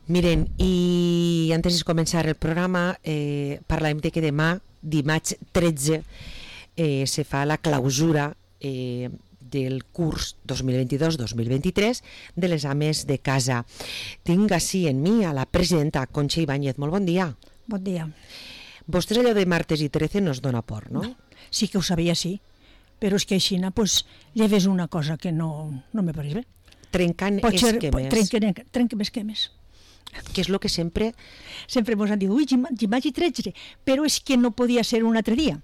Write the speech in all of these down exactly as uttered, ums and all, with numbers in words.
Miren, i antes de començar el programa, eh, parlem de que demà, dimarts tretze, eh, se fa la clausura eh, del curs dos mil vint-dos dos mil vint-tres de les ames de casa. Tinc així en mi a la presidenta Concha Ibáñez. Molt bon dia. Bon dia. Vostès allò de martes i trece no es dona por, no? No, sí que ho sabia, sí. Però és que així, pues, lleves una cosa que no, no me pareix bé. Trencant Potser, esquemes. Trenquen, trenquen esquemes. Que és el que sempre... Sempre ens han dit, ui, dimarts i tretze, però és que no podia ser un altre dia,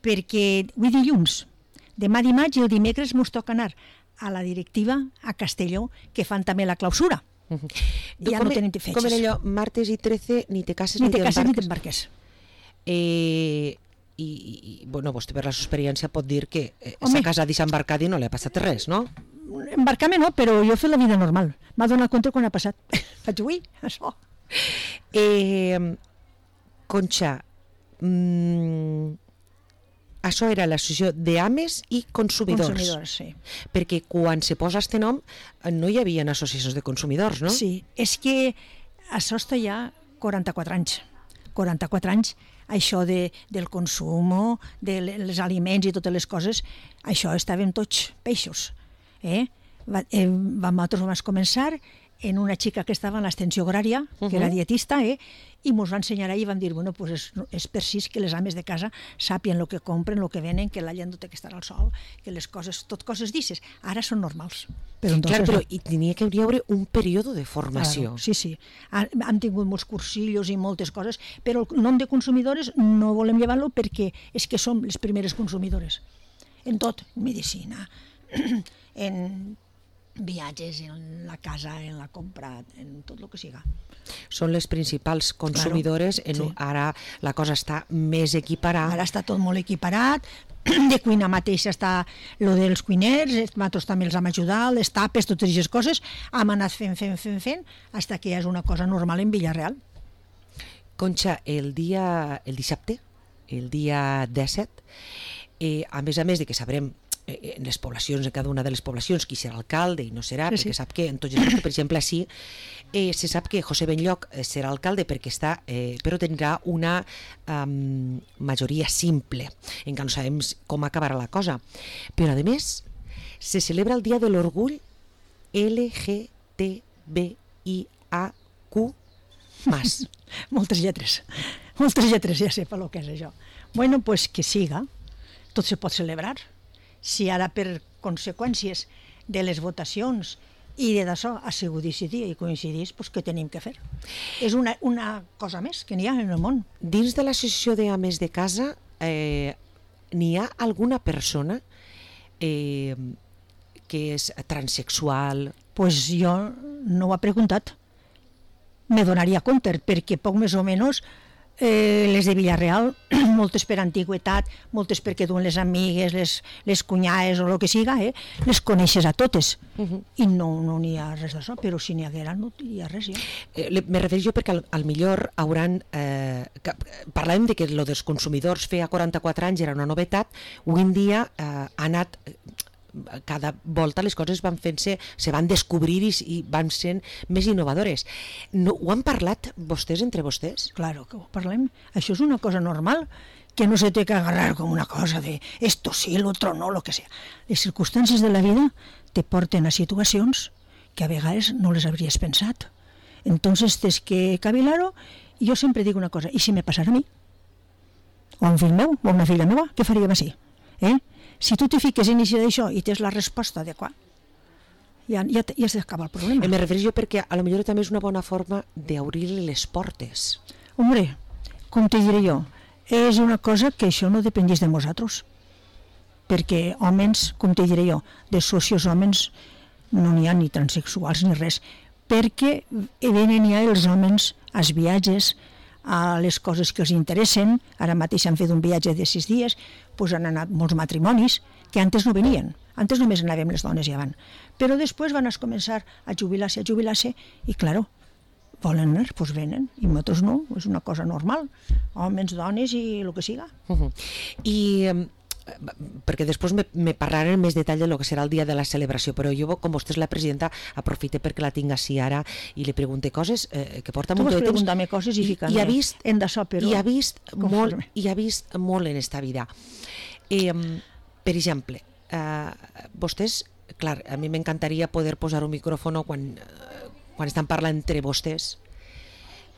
perquè avui dilluns, demà dimarts i el dimecres mos toca anar a la directiva a Castelló, que fan també la clausura. Uh -huh. Ja com, no tenen fetges. Com era allò, martes i trece, ni te cases ni, ni te cases ni t'embarques? t'embarques. Eh, i, i, bueno, vostè per la seva experiència pot dir que eh, s'ha casat i s'ha embarcat i no li ha passat res, no? Embarcar-me no, però jo he fet la vida normal. M'ha donat compte quan ha passat. Faig, ui, això. Eh, Concha, mm, això era l'associació d'ames i consumidors. Consumidors, sí. Perquè quan se posa este nom no hi havia associacions de consumidors, no? Sí, és que això està ja quaranta-quatre anys. quaranta-quatre anys, això de, del consum, dels aliments i totes les coses, això estàvem tots peixos. Eh? Va, eh, vam, nosaltres vam començar en una xica que estava en l'extensió agrària, que uh -huh. era dietista, eh? i ens va ensenyar ahir i vam dir, bueno, pues és, és per si que les ames de casa sàpien el que compren, el que venen, que la gent no té que estar al sol, que les coses, tot coses d'ixes, ara són normals. Però, entonces, clar, però hi tenia que haver un període de formació. Claro, sí, sí. Hem tingut molts cursillos i moltes coses, però el nom de consumidores no volem llevar-lo perquè és que som les primeres consumidores. En tot, en medicina, en viatges, en la casa, en la compra, en tot el que siga. Són les principals consumidores, claro, en, sí. Ara la cosa està més equiparada. Ara està tot molt equiparat, de cuina mateixa està lo dels cuiners, nosaltres també els hem ajudat, les tapes, totes aquestes coses, hem anat fent, fent, fent, fent, fins que ja és una cosa normal en Villarreal. Concha, el dia, el dissabte, el dia disset, eh, a més a més de que sabrem en les poblacions, en cada una de les poblacions, qui serà alcalde i no serà, sí, perquè sí. Sap que en tots els, per exemple, així eh, se sap que José Benlloch serà alcalde perquè està, eh, però tindrà una um, majoria simple, encara no sabem com acabarà la cosa. Però, a més, se celebra el Dia de l'Orgull L G T B I A Q más. Moltes lletres, moltes lletres, ja sé per lo que és això. Bueno, pues que siga, tot se pot celebrar. Si ara per conseqüències de les votacions i de d'això ha sigut decidir i coincidís, doncs què tenim que fer? És una, una cosa més que n'hi ha en el món. Dins de l'associació d'ames de casa eh, n'hi ha alguna persona eh, que és transexual? Doncs pues jo no ho he preguntat. Me donaria compte, perquè poc més o menys Eh, les de Villarreal, moltes per antigüetat, moltes perquè duen les amigues, les, les cunyades o el que siga, eh, les coneixes a totes. Uh -huh. I no no n'hi ha res d'això, però si n'hi haguera no hi ha res ja. Eh, me refereixo perquè al, al millor hauran... Eh, que, parlàvem de que lo dels consumidors feia quaranta-quatre anys era una novetat, avui en dia eh, ha anat... cada volta les coses van fent-se, se van descobrir i, i van sent més innovadores. No, ho han parlat vostès entre vostès? Claro que ho parlem. Això és una cosa normal, que no se té que agarrar com una cosa de esto sí, el otro no, lo que sea. Les circumstàncies de la vida te porten a situacions que a vegades no les hauries pensat. Entonces tens que cavilar-ho, i jo sempre dic una cosa, i si me passara a mi? O a un fill meu, o a una filla meva, què faríem així? Eh? Si tu te fiques en això i tens la resposta adequada, ja, ja, ja s'acaba el problema. Me refereixo perquè a lo millor també és una bona forma d'obrir les portes. Hombre, com te diré jo, és una cosa que això no dependís de nosaltres, perquè homes, com te diré jo, de socios homes no n'hi ha ni transexuals ni res, perquè venen ja els homes als viatges, a les coses que els interessen. Ara mateix han fet un viatge de sis dies, doncs han anat molts matrimonis que antes no venien, antes només anàvem les dones ja van, però després van a començar a jubilar-se, a jubilar-se, i claro, volen anar, doncs venen, i nosaltres no, és una cosa normal, homes, dones i el que siga. Uh-huh. I perquè després me, me parlarem en més detall de lo que serà el dia de la celebració, però jo, com vostè és la presidenta, aprofite perquè la tinc així ara i li pregunte coses eh, que porta molt de temps. Tu vas preguntar-me coses i ficar-me ha vist, en d'això, però... I ha vist molt, i ha vist molt en esta vida. Eh, per exemple, eh, vostès, clar, a mi m'encantaria poder posar un micròfon quan, eh, quan estan parlant entre vostès.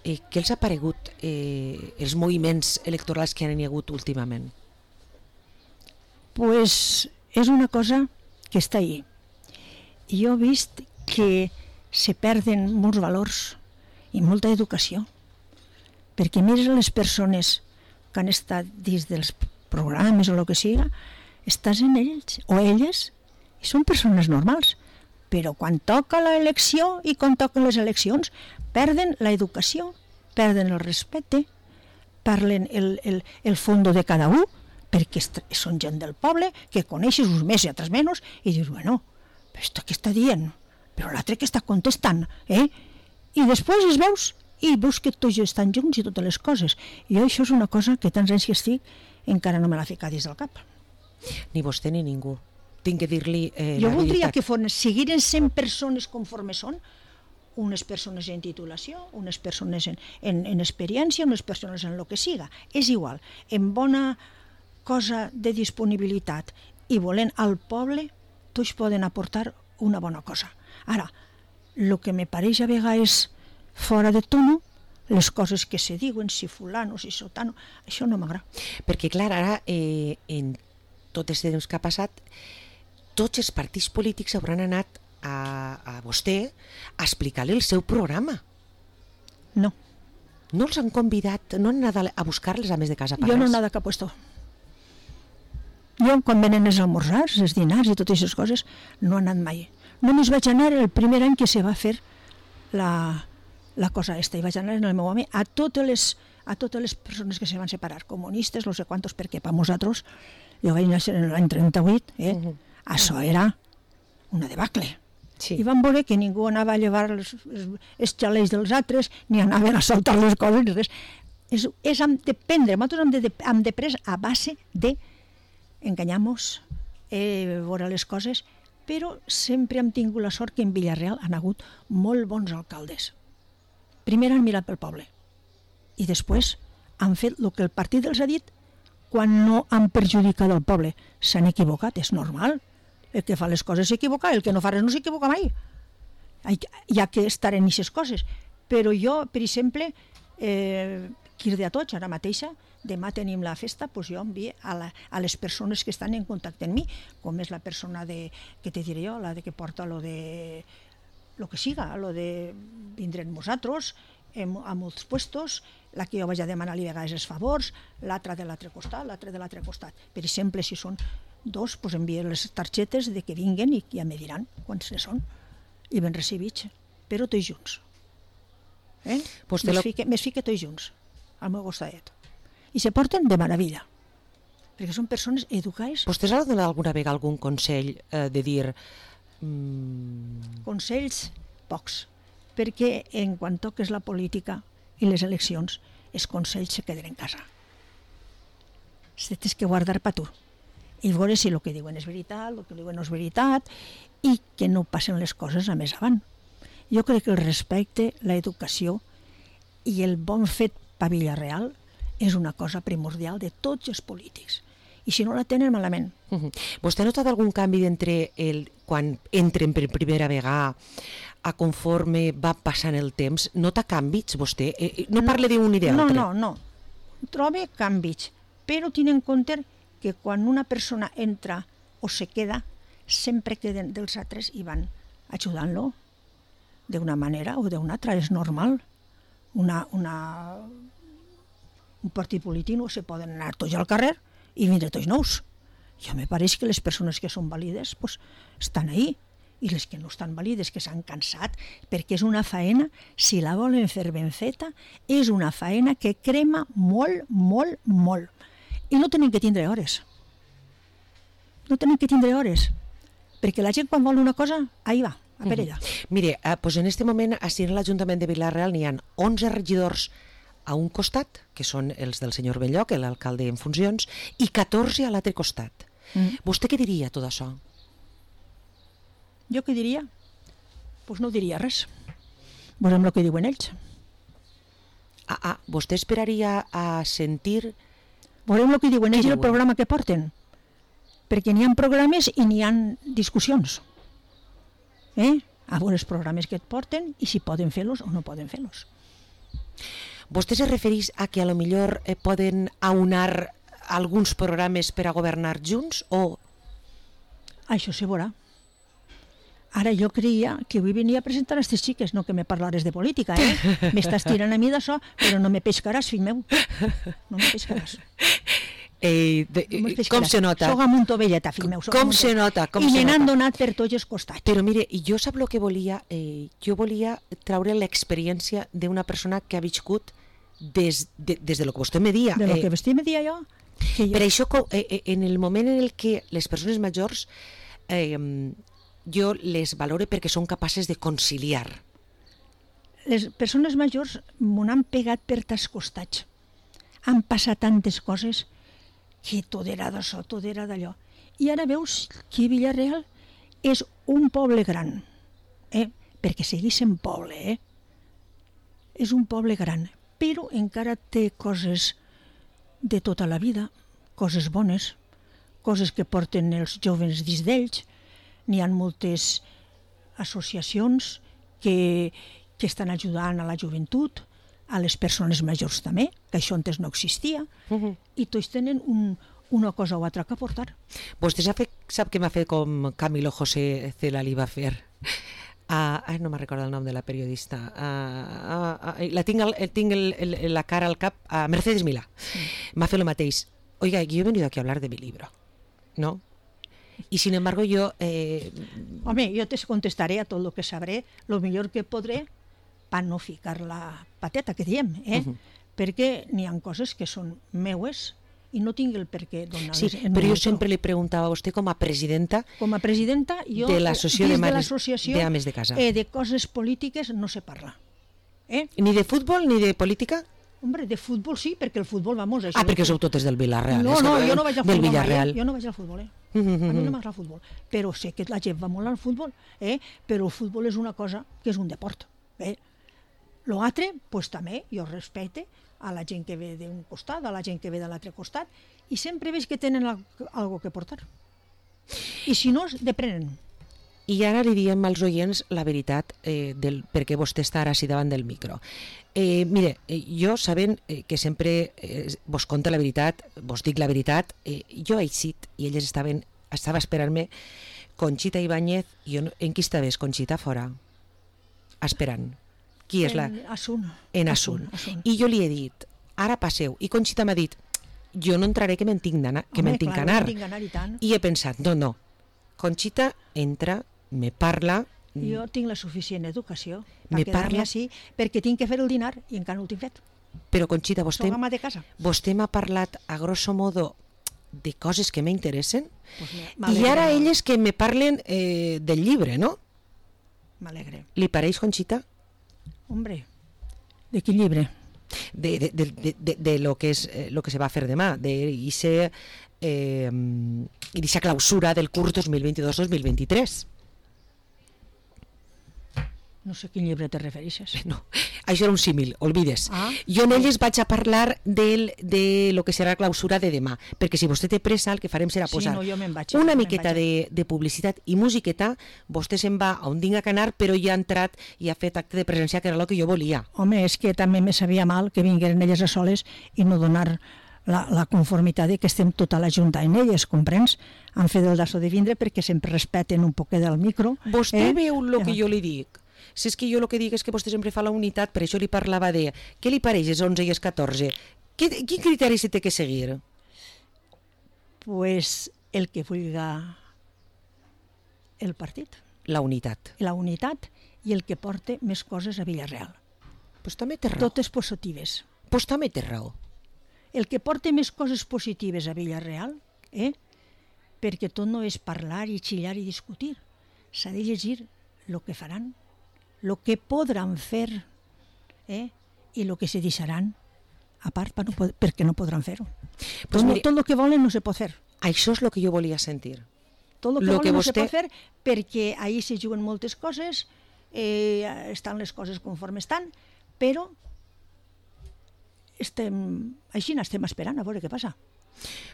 Eh, què els ha paregut eh, els moviments electorals que han hi hagut últimament? Pues és una cosa que està ahí. Jo he vist que se perden molts valors i molta educació, perquè mires les persones que han estat dins dels programes o el que siga, estàs en ells o elles i són persones normals, però quan toca l'elecció i quan toquen les eleccions perden l'educació, perden el respecte, parlen el, el, el fondo de cada un, perquè són gent del poble, que coneixes uns més i altres menys, i dius, bueno, però esto què està dient? Però l'altre que està contestant, eh? I després es veus, i veus que tots estan junts i totes les coses. I jo això és una cosa que tants anys que estic, encara no me l'ha ficat dins del cap. Ni vostè ni ningú. Tinc que dir-li eh, jo la voldria veritat. que fos, siguin cent persones conforme són, unes persones en titulació, unes persones en, en, en experiència, unes persones en el que siga. És igual, en bona cosa de disponibilitat i volent al poble, tots poden aportar una bona cosa. Ara, el que me pareix a vegades fora de tono, les coses que se diuen, si fulano, si sotano, això no m'agrada. Perquè, clar, ara, eh, en tot aquest temps que ha passat, tots els partits polítics hauran anat a, a vostè a explicar-li el seu programa. No. No els han convidat, no han anat a buscar-les a més de casa per Jo no he res. anat a cap puesto. Jo, quan venen els almorzars, els dinars i totes aquestes coses, no he anat mai. Només vaig anar el primer any que se va fer la, la cosa esta, i vaig anar en el meu home a totes les, a totes les persones que se van separar, comunistes, no sé quantos, perquè per nosaltres, jo vaig néixer en l'any trenta-vuit, eh? Uh-huh. Això era una debacle. Sí. I van veure que ningú anava a llevar els, els, els xalets dels altres, ni anaven a saltar les coses, ni res. És, és hem de prendre, nosaltres hem de, hem de pres a base de enganyar-nos, eh, veure les coses, però sempre hem tingut la sort que en Villarreal han hagut molt bons alcaldes. Primer han mirat pel poble i després han fet el que el partit els ha dit quan no han perjudicat el poble. S'han equivocat, és normal. El que fa les coses s'equivoca, el que no fa res no s'equivoca mai. Hi ha que estar en aquestes coses. Però jo, per exemple, eh, quirde a tots, ara mateixa, demà tenim la festa, doncs jo envio a, la, a les persones que estan en contacte amb mi, com és la persona de, que te diré jo, la de que porta lo de lo que siga, lo de vindre amb nosaltres, en, a molts puestos, la que jo vaig a demanar-li a vegades els favors, l'altra de l'altre costat, l'altre de l'altre costat. Per exemple, si són dos, doncs envio les targetes de que vinguen i ja me diran quants ne són, i ben recibits, però tots junts. Eh? Pues mes, lo... fique, mes fique tots junts, al meu costadet. I se porten de meravella, perquè són persones educades. Vostès han donat alguna vegada algun consell eh, de dir... Mm... Consells, pocs, perquè en quan toques la política i les eleccions, els consells se queden en casa. Se tens que guardar per tu i veure si el que diuen és veritat, el que diuen no és veritat, i que no passen les coses a més avant. Jo crec que el respecte, l'educació i el bon fet per Villarreal és una cosa primordial de tots els polítics. I si no la tenen, malament. Uh-huh. Vostè ha notat algun canvi d'entre el, quan entren per primera vegada a conforme va passant el temps? Nota canvis, vostè? Eh, no parla d'un i d'altre. No, no, no. Trobe canvis, però tinc en compte que quan una persona entra o se queda, sempre queden dels altres i van ajudant-lo d'una manera o d'una altra. És normal. Una, una, un partit polític no se poden anar tots al carrer i vindre tots nous. Jo me pareix que les persones que són vàlides pues, estan ahí, i les que no estan vàlides, que s'han cansat, perquè és una faena, si la volen fer ben feta, és una faena que crema molt, molt, molt. I no tenen que tindre hores. No tenen que tindre hores, perquè la gent quan vol una cosa, ahí va, a per ella. Mm-hmm. Mire, eh, pues en este moment, així en l'Ajuntament de Vila-real n'hi ha onze regidors a un costat, que són els del senyor Belloc, l'alcalde en funcions, i catorze a l'altre costat. Mm. Vostè què diria tot això? Jo què diria? Doncs pues no diria res. Veurem el que diuen ells. Ah, ah, vostè esperaria a sentir... Veurem el que diuen ells i el programa que porten. Perquè n'hi ha programes i n'hi ha discussions. Eh? A veure els programes que et porten i si poden fer-los o no poden fer-los. Vostè se refereix a que a lo millor eh, poden aunar alguns programes per a governar junts o...? Això se veurà. Ara jo creia que avui venia a presentar aquestes xiques, no que me parlares de política, eh? M'estàs tirant a mi d'això, però no me pescaràs, fill meu. No me pescaràs. Eh, de, no com se nota? Soc amb un tovelleta, fill meu. Com se nota? Com I se me n'han nota? donat per tots els costats. Però mire, jo sap el que volia? Eh, jo volia treure l'experiència d'una persona que ha viscut des de, des de lo que vostè me dia. De lo eh, que vostè me dia jo. Que jo... Per això, eh, en el moment en el que les persones majors... Eh, jo les valoro perquè són capaces de conciliar. Les persones majors m'ho han pegat per tas costats. Han passat tantes coses que tot era d'això, tot era d'allò. I ara veus que Vila-real és un poble gran, eh? Perquè segueix sent poble, eh? És un poble gran, però encara té coses de tota la vida, coses bones, coses que porten els joves dins d'ells. N'hi ha moltes associacions que, que estan ajudant a la joventut, a les persones majors també, que això antes no existia, uh-huh. I tots tenen un, una cosa o altra que aportar. Vostè sap, sap que m'ha fet com Camilo José Cela li va fer? Uh, no me'n recordo el nom de la periodista. Uh, uh, uh, la tinc, el, tinc el, el, la cara al cap a uh, Mercedes Milà. Sí. M'ha fet el mateix. Oiga, yo he venido aquí a hablar de mi libro, ¿no? Y sin embargo yo... Eh... Home, jo te contestaré a tot el que sabré, el millor que podré, per no ficar la pateta, que diem, eh? Uh-huh. Perquè n'hi ha coses que són meues i no tinc el per què donar-les. Sí, però jo sempre li preguntava a vostè com a presidenta, com a presidenta jo, de l'associació de, de, de, de ames de casa. Eh, de coses polítiques no se parla. Eh? Ni de futbol ni de política? Hombre, de futbol sí, perquè el futbol, vamos... Això ah, perquè sou totes del Villarreal. No, no, jo no vaig al futbol, eh? jo no vaig al futbol, eh? Mm-hmm. A mi no m'agrada el futbol, però sé que la gent va molt al futbol, eh? Però el futbol és una cosa que és un deport, eh? L'altre, pues també, jo respecte a la gent que ve d'un costat, a la gent que ve de l'altre costat, i sempre veig que tenen algo que portar. I si no, deprenen. I ara li diem als oients la veritat eh, del per què vostè està ara així davant del micro. Eh, mire, eh, jo sabent eh, que sempre eh, vos conta la veritat, vos dic la veritat, eh, jo he eixit i elles estaven, estava esperant-me Conxita Ibáñez, i jo, en qui estaves, Conxita, fora? Esperant. Qui és la? En Asun. En Asun. Asun. I jo li he dit, ara passeu, i Conxita m'ha dit, jo no entraré que me'n tinc d'anar, que me'n tinc que anar. I he pensat, no, no, Conxita entra, me parla... Jo tinc la suficient educació per quedar-me així, perquè tinc que fer el dinar i encara no ho tinc fet. Però, Conxita, vostè, Soc ama de casa. vostè m'ha parlat, a grosso modo, de coses que m'interessen, pues i ara elles que me parlen eh, del llibre, no? M'alegre. Li pareix, Conxita? Hombre, de quin llibre? De, de, de, de, de, de lo que és eh, lo que se va a fer demà, de ixe, eh, ixa clausura del curs dos mil vint-i-dos dos mil vint-i-tres. No sé a quin llibre te refereixes. No, això era un símil, olvides. Ah, jo en elles vaig a parlar del, de lo que serà la clausura de demà, perquè si vostè té pressa el que farem serà sí, posar no, jo vaig, una miqueta de, de publicitat i musiqueta, vostè se'n va a on tinga que anar, però ja ha entrat i ha fet acte de presència, que era el que jo volia. Home, és que també me sabia mal que vingueren elles a soles i no donar la, la conformitat de que estem tota la junta en elles, comprens? Han fet el dasso de vindre perquè sempre respeten un poquet del micro. Vostè eh? veu el que jo li dic? Si és que jo el que dic és que vostè sempre fa la unitat, per això li parlava de què li pareix els onze i els catorze? Quin criteri se té que seguir? Pues el que vulga el partit. La unitat. La unitat i el que porte més coses a Vila-real. Pues també té raó. Totes positives. Pues també té raó. El que porte més coses positives a Vila-real, eh? Perquè tot no és parlar i xillar i discutir. S'ha de llegir el que faran, el que podran fer, eh? I el que se deixaran a part per no, perquè no podran fer-ho. Pues tot, mire, tot el que volen no se pot fer. Això és el que jo volia sentir. Tot el que lo volen que no vostè... se pot fer perquè ahir se juguen moltes coses, eh, estan les coses conforme estan, però estem, així n'estem esperant a veure què passa.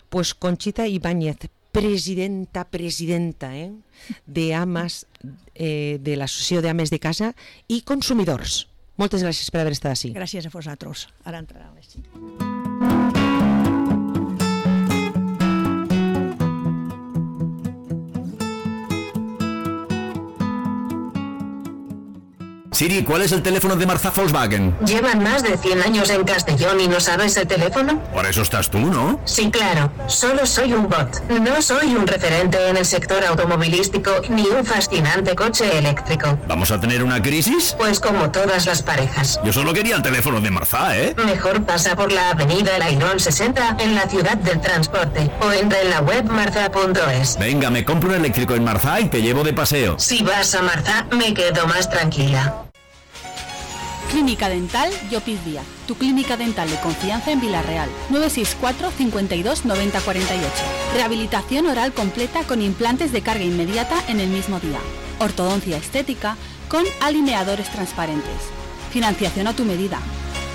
Pues Conchita Ibáñez, presidenta, presidenta eh, de AMAS, eh, de l'Associació d'Ames de Casa i Consumidors. Moltes gràcies per haver estat així. Gràcies a vosaltres. Ara entrarà les cinc. Siri, ¿cuál es el teléfono de Marzá Volkswagen? Llevan más de cien años en Castellón y no sabes el teléfono. Por eso estás tú, ¿no? Sí, claro. Solo soy un bot. No soy un referente en el sector automovilístico ni un fascinante coche eléctrico. ¿Vamos a tener una crisis? Pues como todas las parejas. Yo solo quería el teléfono de Marzá, ¿eh? Mejor pasa por la avenida El Airón sesenta en la ciudad del transporte o entra en la web marza punto es. Venga, me compro un eléctrico en Marzá y te llevo de paseo. Si vas a Marzá, me quedo más tranquila. Clínica Dental Llopis Díaz, tu clínica dental de confianza en Vila-real. nueve seis cuatro, cincuenta y dos, noventa cuarenta y ocho. Rehabilitación oral completa con implantes de carga inmediata en el mismo día. Ortodoncia estética con alineadores transparentes. Financiación a tu medida.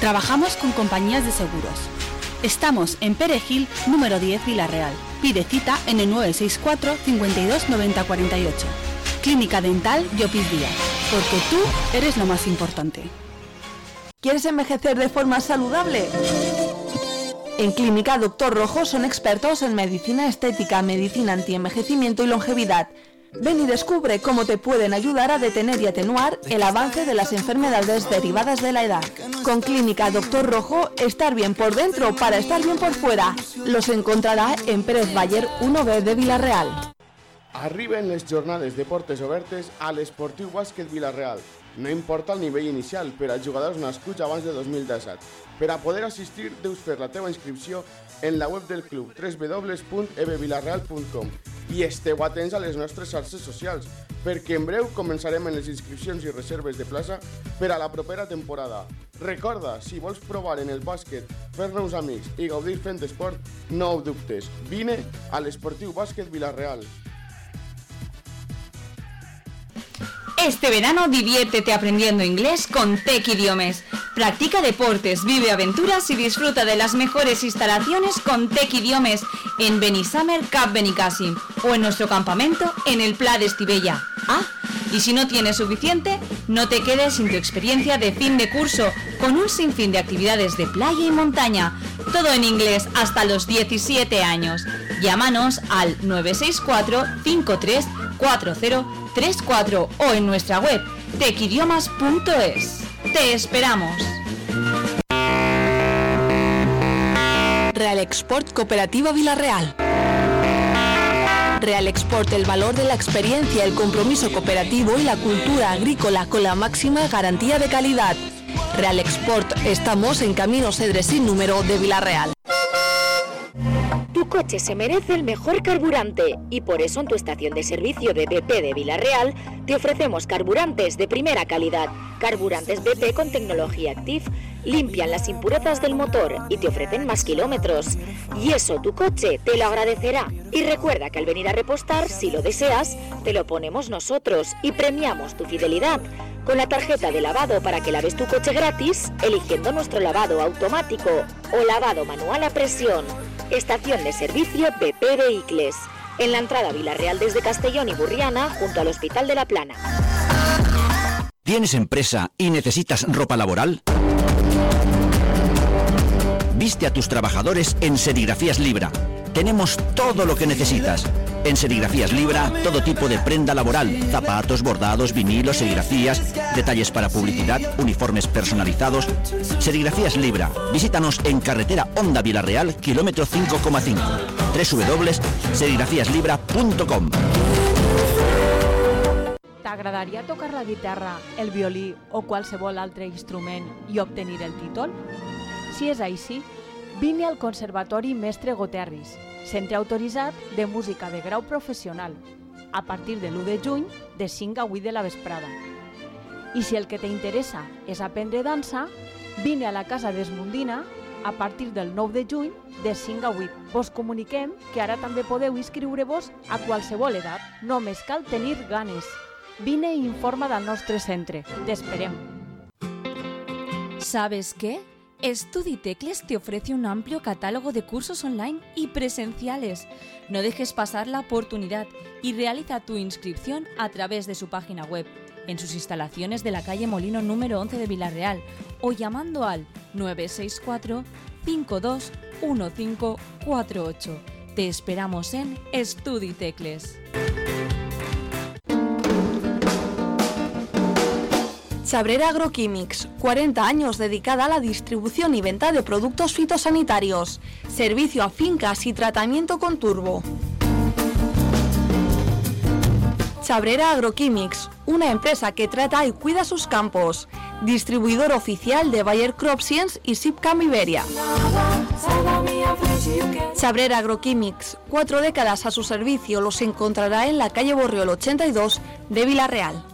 Trabajamos con compañías de seguros. Estamos en Perejil, número diez, Vila-real. Pide cita en el nueve seis cuatro, cincuenta y dos, noventa cuarenta y ocho. Clínica Dental Llopis Díaz, porque tú eres lo más importante. ¿Quieres envejecer de forma saludable? En Clínica Doctor Rojo son expertos en medicina estética, medicina antienvejecimiento y longevidad. Ven y descubre cómo te pueden ayudar a detener y atenuar el avance de las enfermedades derivadas de la edad. Con Clínica Doctor Rojo, estar bien por dentro para estar bien por fuera. Los encontrará en Pérez Baller uno B de Vila-real. Arriben les jornades de portes obertes a l'Esportiu Bàsquet Vila-real. No importa el nivell inicial per als jugadors nascuts abans de dos mil disset. Per a poder assistir, deus fer la teva inscripció en la web del club w w w punt e b vilarreal punt com i esteu atents a les nostres xarxes socials, perquè en breu començarem en les inscripcions i reserves de plaça per a la propera temporada. Recorda, si vols provar en el bàsquet, fer-nos amics i gaudir fent esport, no ho dubtes. Vine a l'Esportiu Bàsquet Vila-real. Este verano diviértete aprendiendo inglés con Tec Idiomes. Practica deportes, vive aventuras y disfruta de las mejores instalaciones con Tec Idiomes en Benissamer Cap Benicàssim o en nuestro campamento en el Pla de Estivella. Ah, y si no tienes suficiente, no te quedes sin tu experiencia de fin de curso con un sinfín de actividades de playa y montaña. Todo en inglés hasta los diecisiete años. Llámanos al nueve seis cuatro, cinco tres cuatro cero tres cuatro o en nuestra web tec idiomas punto es. ¡Te esperamos! Real Export Cooperativa Vila-real. Real Export, el valor de la experiencia, el compromiso cooperativo y la cultura agrícola con la máxima garantía de calidad. Real Export, estamos en Camino Cedre sin número de Vila-real. Tu coche se merece el mejor carburante y por eso en tu estación de servicio de B P de Vila-real te ofrecemos carburantes de primera calidad. Carburantes B P con tecnología Active limpian las impurezas del motor y te ofrecen más kilómetros. Y eso tu coche te lo agradecerá. Y recuerda que al venir a repostar, si lo deseas, te lo ponemos nosotros y premiamos tu fidelidad con la tarjeta de lavado para que laves tu coche gratis, eligiendo nuestro lavado automático o lavado manual a presión. Estación de servicio B P Vehicles, en la entrada a Vila-real desde Castellón y Burriana, junto al Hospital de la Plana. ¿Tienes empresa y necesitas ropa laboral? Viste a tus trabajadores en Serigrafías Libra. Tenemos todo lo que necesitas. En Serigrafías Libra, todo tipo de prenda laboral, zapatos, bordados, vinilos, serigrafías, detalles para publicidad, uniformes personalizados. Serigrafías Libra. Visítanos en carretera Honda Vila-real, kilómetro cinco coma cinco. doble u doble u doble u punt serigrafías libra punt com. T'agradaria tocar la guitarra, el violí o qualsevol altre instrument i obtenir el títol? Si és així, vine al Conservatori Mestre Goterris, centre autoritzat de música de grau professional, a partir de l'u de juny, de cinc a vuit de la vesprada. I si el que t'interessa és aprendre dansa, vine a la Casa d'Esmundina, a partir del nou de juny de cinc a vuit. Vos comuniquem que ara també podeu inscriure-vos a qualsevol edat. Només cal tenir ganes. Vine i informa del nostre centre. T'esperem. ¿Sabes qué? Estuditecles te ofrece un amplio catálogo de cursos online y presenciales. No dejes pasar la oportunidad y realiza tu inscripción a través de su página web, en sus instalaciones de la calle Molino número once de Vilarreal o llamando al nueve seis cuatro, cinco dos uno cinco cuatro ocho. Te esperamos en Estuditecles. Chabrera Agroquímics, cuarenta años dedicada a la distribución y venta de productos fitosanitarios, servicio a fincas y tratamiento con turbo. Chabrera Agroquímics, una empresa que trata y cuida sus campos, distribuidor oficial de Bayer Crop Science y Sipcam Iberia. Chabrera Agroquímics, cuatro décadas a su servicio, los encontrará en la calle Borriol ochenta y dos de Vilarreal.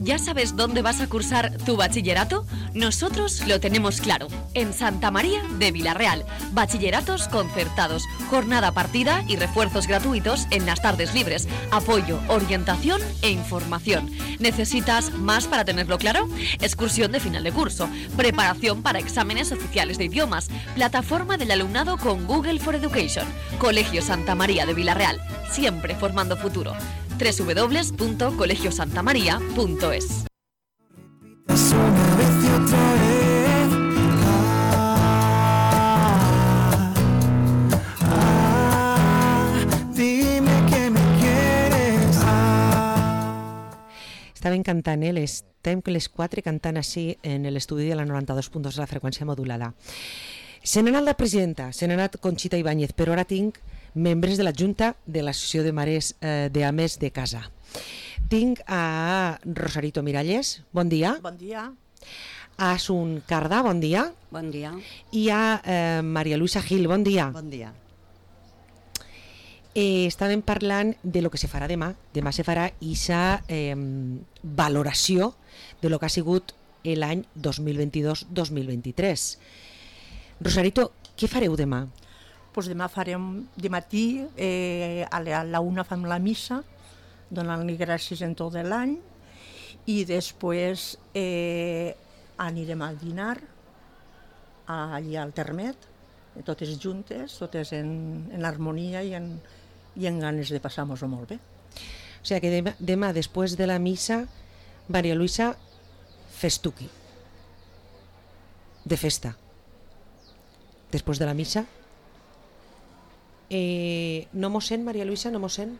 ¿Ya sabes dónde vas a cursar tu bachillerato? Nosotros lo tenemos claro, en Santa María de Vilarreal. Bachilleratos concertados, jornada partida y refuerzos gratuitos en las tardes libres. Apoyo, orientación e información. ¿Necesitas más para tenerlo claro? Excursión de final de curso, preparación para exámenes oficiales de idiomas, plataforma del alumnado con Google for Education. Colegio Santa María de Vilarreal, siempre formando futuro. doble u doble u doble u punto colegio santa maría punto es. Estaven cantant, eh? Estem les quatre cantant així en l'estudi de la noranta-dos punt dos de la freqüència modulada. Se n'ha anat la presidenta, se n'ha anat Conxita Ibáñez, però ara tinc membres de la Junta de l'Associació de Mares eh, d'Ames de Casa. Tinc a Rosarito Miralles, bon dia. Bon dia. A Asun Cardà, bon dia. Bon dia. I a eh, Maria Luisa Gil, bon dia. Bon dia. Eh, estàvem parlant de lo que se farà demà. Demà se farà aquesta eh, valoració de lo que ha sigut l'any dos mil vint-i-dos dos mil vint-i-tres. Rosarito, què fareu demà? Pues demà farem de matí, eh, a la, a la una fem la missa, donant-li gràcies en tot l'any, i després eh, anirem al dinar, allà al Termet, totes juntes, totes en, en harmonia i en, i en ganes de passar-nos-ho molt bé. O sigui que demà, demà, després de la missa, Maria Luisa, festuqui, de festa. Després de la missa, Eh, no mos sent, Maria Luisa, no mos sent?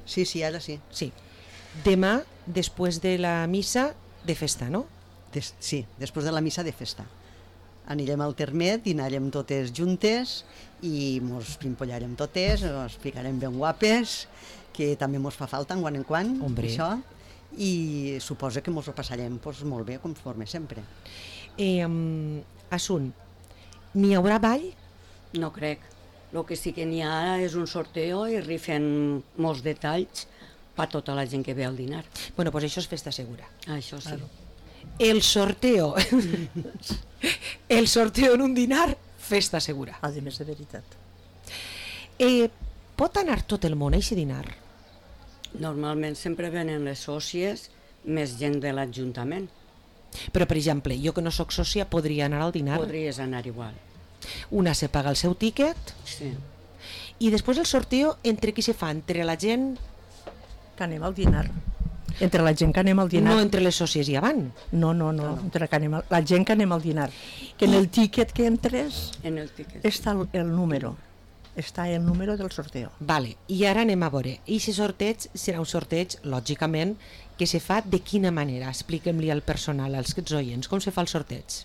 Sí, sí, ara sí. Sí. Demà, després de la missa, de festa, no? Des, sí, després de la missa de festa. Anirem al Termet, dinarem totes juntes i mos pimpollarem totes, ens ficarem ben guapes, que també mos fa falta en quan en quan, Hombre. Això, i suposo que mos ho passarem pues, molt bé, conforme sempre. Eh, um, Asun, n'hi haurà ball? No crec. El que sí que n'hi ha és un sorteo i rifen molts detalls per tota la gent que ve al dinar. Bueno, pues això és festa segura. Això sí. Claro. El sorteo. El sorteo en un dinar, festa segura. A més de veritat. Eh, pot anar tot el món a aquest dinar? Normalment sempre venen les sòcies, més gent de l'Ajuntament. Però, per exemple, jo que no sóc sòcia podria anar al dinar? Podries anar igual. Una se paga el seu tíquet, sí. I després el sorteo entre qui se fa? Entre la gent que anem al dinar. Entre la gent que anem al dinar. No entre les sòcies ja van. No, no, no, no. Entre que anem al, la gent que anem al dinar. Que en el tíquet que entres en el tíquet. Està el, el número. Està el número del sorteo. Vale, i ara anem a veure. I aquest sorteig serà un sorteig, lògicament, que se fa de quina manera? Expliquem-li al personal, als oients, com se fa el sorteig?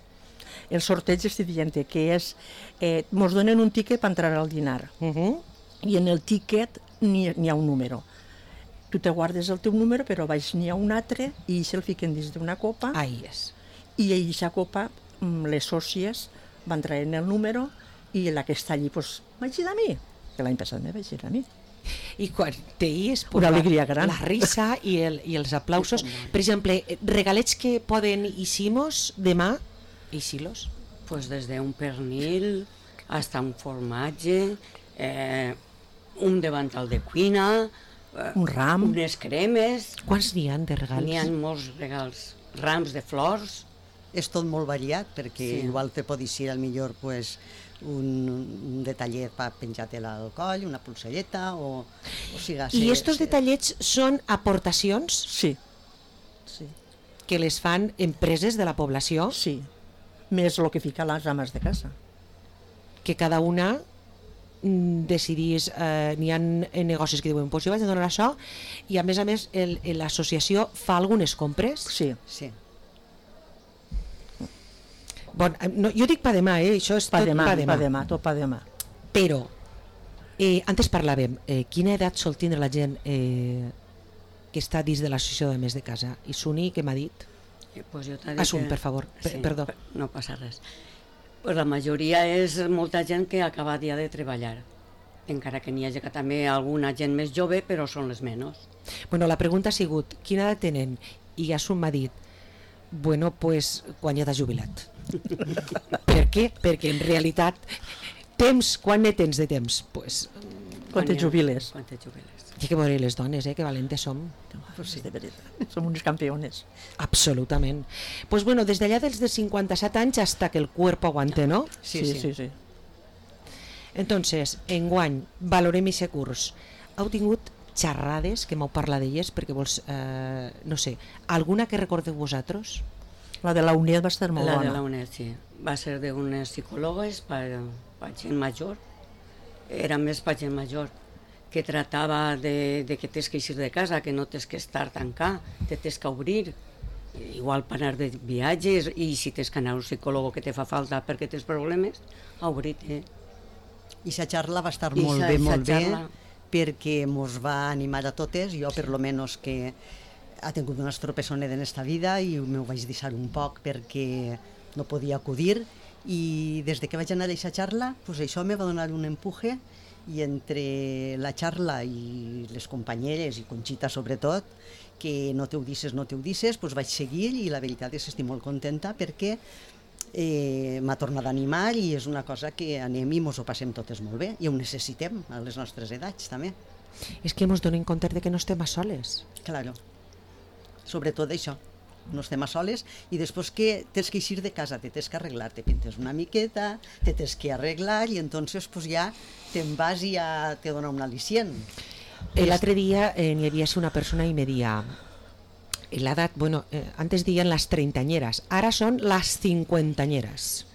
El sorteig estic dient que és, eh, mos donen un tíquet per entrar al dinar, uh -huh. i en el tíquet n'hi ha un número. Tu te guardes el teu número, però baix n'hi ha un altre i se'l fiquen dins d'una copa. Ahí és. I a aquesta copa les sòcies van traient el número i la que està allí, doncs, vaig ir a mi, que l'any passat me vaig ir a mi. I quan t'hies, una alegria gran. La risa i, el, i els aplausos. Per exemple, regalets que poden eixir-nos demà, eixir-los? Pues des d'un pernil hasta un formatge, eh, un davantal de cuina, eh, un ram, unes cremes. Quants n'hi ha de regals? N'hi ha molts regals, rams de flors. És tot molt variat, perquè Sí. igual te pot ser al millor pues, un, un detallet per penjar-te-la al coll, una polselleta, o, o siga... I estos detallets són aportacions? Sí. sí. Que les fan empreses de la població? Sí, més el que fica les ames de casa. Que cada una mm, decidís, eh, n'hi ha negocis que diuen, pues jo vaig a donar això, i a més a més el- l'associació fa algunes compres? Sí. Sí. Bon, eh, no, jo dic pa demà, eh? Això és Pa tot demà, pa demà. pa demà, tot pa demà. Però, eh, antes parlàvem, eh, quina edat sol tindre la gent eh, que està dins de l'associació de més de casa? I Suni, què m'ha dit? Eh, Pues jo t'he dit Assum, que- per favor, per- perdó. per- No passa res. Pues la majoria és molta gent que acaba ja de treballar, encara que n'hi hagi que també alguna gent més jove, però són les menys. Bueno, la pregunta ha sigut, quina edat tenen? I Assum m'ha dit, bueno, pues, quan ja t'has jubilat. Per què? Perquè en realitat, temps, quan ne tens de temps? Pues, Quan te jubiles. Quan te jubiles. I que veure les dones, eh, que valentes som. Pues sí, de veritat, som uns campiones. Absolutament. Pues bueno, des d'allà dels de cinquanta-set anys hasta que el cuerpo aguante, ¿no? Sí, sí, sí. sí. Entonces, enguany, valorem aquest curs. Heu tingut xerrades, que m'heu parlat d'elles, perquè vols, eh, no sé, alguna que recordeu vosaltres? La de la UNED va estar molt la bona. de la UNED, sí. Va ser d'unes psicòlogues per, per gent major. Era més per gent major, que tractava de, de que tens que eixir de casa, que no tens que estar tancat, te tens que obrir. Igual per anar de viatges, i si tens que anar a un psicòleg que te fa falta perquè tens problemes, a obrir-te. I sa xarra va estar I molt sa- bé, sa molt bé, xarra- perquè mos va animar a totes, jo per lo menos que ha tingut una estropessona en esta vida i m'ho vaig deixar un poc perquè no podia acudir, i des de que vaig anar a aquesta xarra, pues això me va donar un empuje, i entre la xarra i les companyeres, i Conxita sobretot, que no te ho disses, no te ho disses, pues vaig seguir, i la veritat és que estic molt contenta perquè eh, m'ha tornat a animar, i és una cosa que anem i mos ho passem totes molt bé, i ho necessitem a les nostres edats també. És que ens donem compte de que no estem a soles. Claro, sobretot això, no estem a soles, i després que tens que eixir de casa, te tens que arreglar, te pintes una miqueta, te tens que arreglar, i entonces pues ja te'n vas i ja te dona un al·licient. L'altre dia eh, n'hi havia una persona i me dia l'edat, bueno, eh, antes diuen les treintañeras, ara són les cinquantañeras.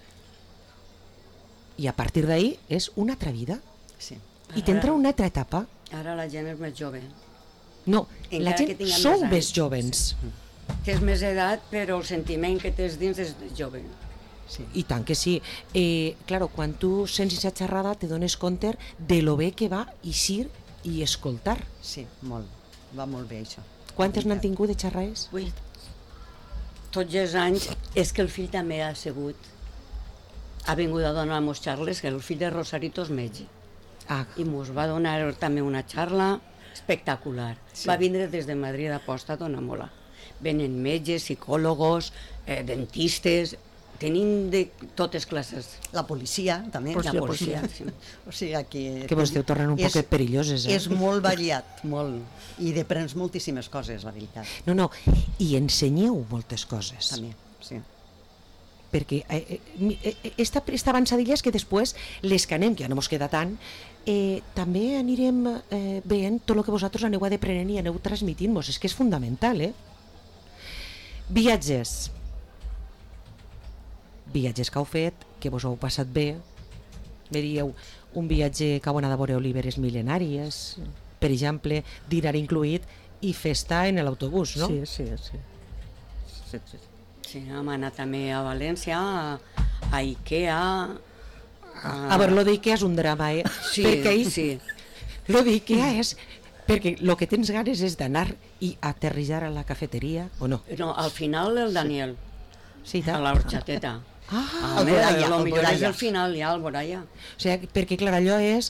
I a partir d'ahí és una altra vida. Sí. I tindrà una altra etapa. Ara la gent és més jove. No, Encara la que gent tinguem sou més més anys. jovens. Tens més edat, però el sentiment que tens dins és jove. Sí. I tant que sí. Eh, claro, quan tu sents aquesta xerrada te dones compte de lo bé que va eixir i escoltar. Sí, molt. Va molt bé això. Quantes n'han tingut de xerrades? Ui, tots els anys és que el fill també ha sigut, ha vingut a donar-nos xarles, que el fill de Rosarito és metge. Ah. I mos va donar també una xarra espectacular. Sí. Va vindre des de Madrid aposta a donar-me-la. Venen metges, psicòlogos, eh, dentistes, tenim de totes classes. La policia, també. La policia, sí. O sigui que... Que vos esteu tornant un és- poquet perilloses, eh? És molt variat, molt. I deprens moltíssimes coses, la veritat. No, no, i ensenyeu moltes coses. També, sí. Perquè eh, eh, mi- eh, esta, esta avançadilla és que després les que anem, que ja no mos queda tant, eh, també anirem eh, veient tot el que vosaltres aneu aprenent i aneu transmitint-vos. És que és fundamental, eh? Viatges. Viatges que heu fet, que vos heu passat bé. Me dieu, un viatge que heu anat a veure oliveres mil·lenàries, per exemple, dinar incluït i festa en l'autobús, no? Sí, sí, sí. sí, sí. Sí, hem anat també a València, a, a Ikea... A, A veure, lo d'Ikea és un drama, eh? Sí, perquè ahí, sí. Lo d'Ikea és... Perquè el que tens ganes és d'anar i aterrissar a la cafeteria, o no? No, al final el Daniel, sí, a la horchateta. Ah, a el veure, Boralla, lo el millor és Boralla. el final, ja, el Boralla. O sigui, perquè clar, allò és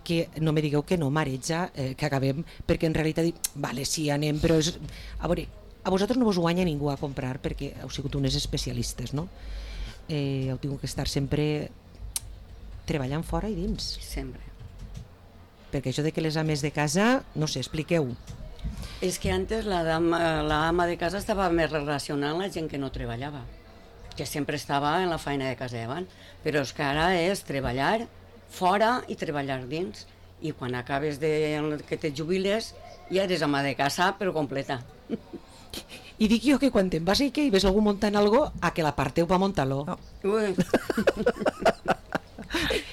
que no me digueu que no mareja, eh, que acabem, perquè en realitat dic, vale, sí, anem, però és... A veure, a vosaltres no vos guanya ningú a comprar perquè heu sigut unes especialistes, no? eh, heu tingut que estar sempre treballant fora i dins. Sempre. Perquè això de que les ames de casa, no sé, expliqueu. És que antes la, dama, la ama de casa estava més relacionada amb la gent que no treballava, que sempre estava en la feina de casa davant, però és que ara és treballar fora i treballar dins, i quan acabes de que te jubiles ja eres ama de casa però completa. I dic jo que quan te'n vas i que hi ves algú muntant algo, a que l'aparteu pa muntar-lo. No. Ui.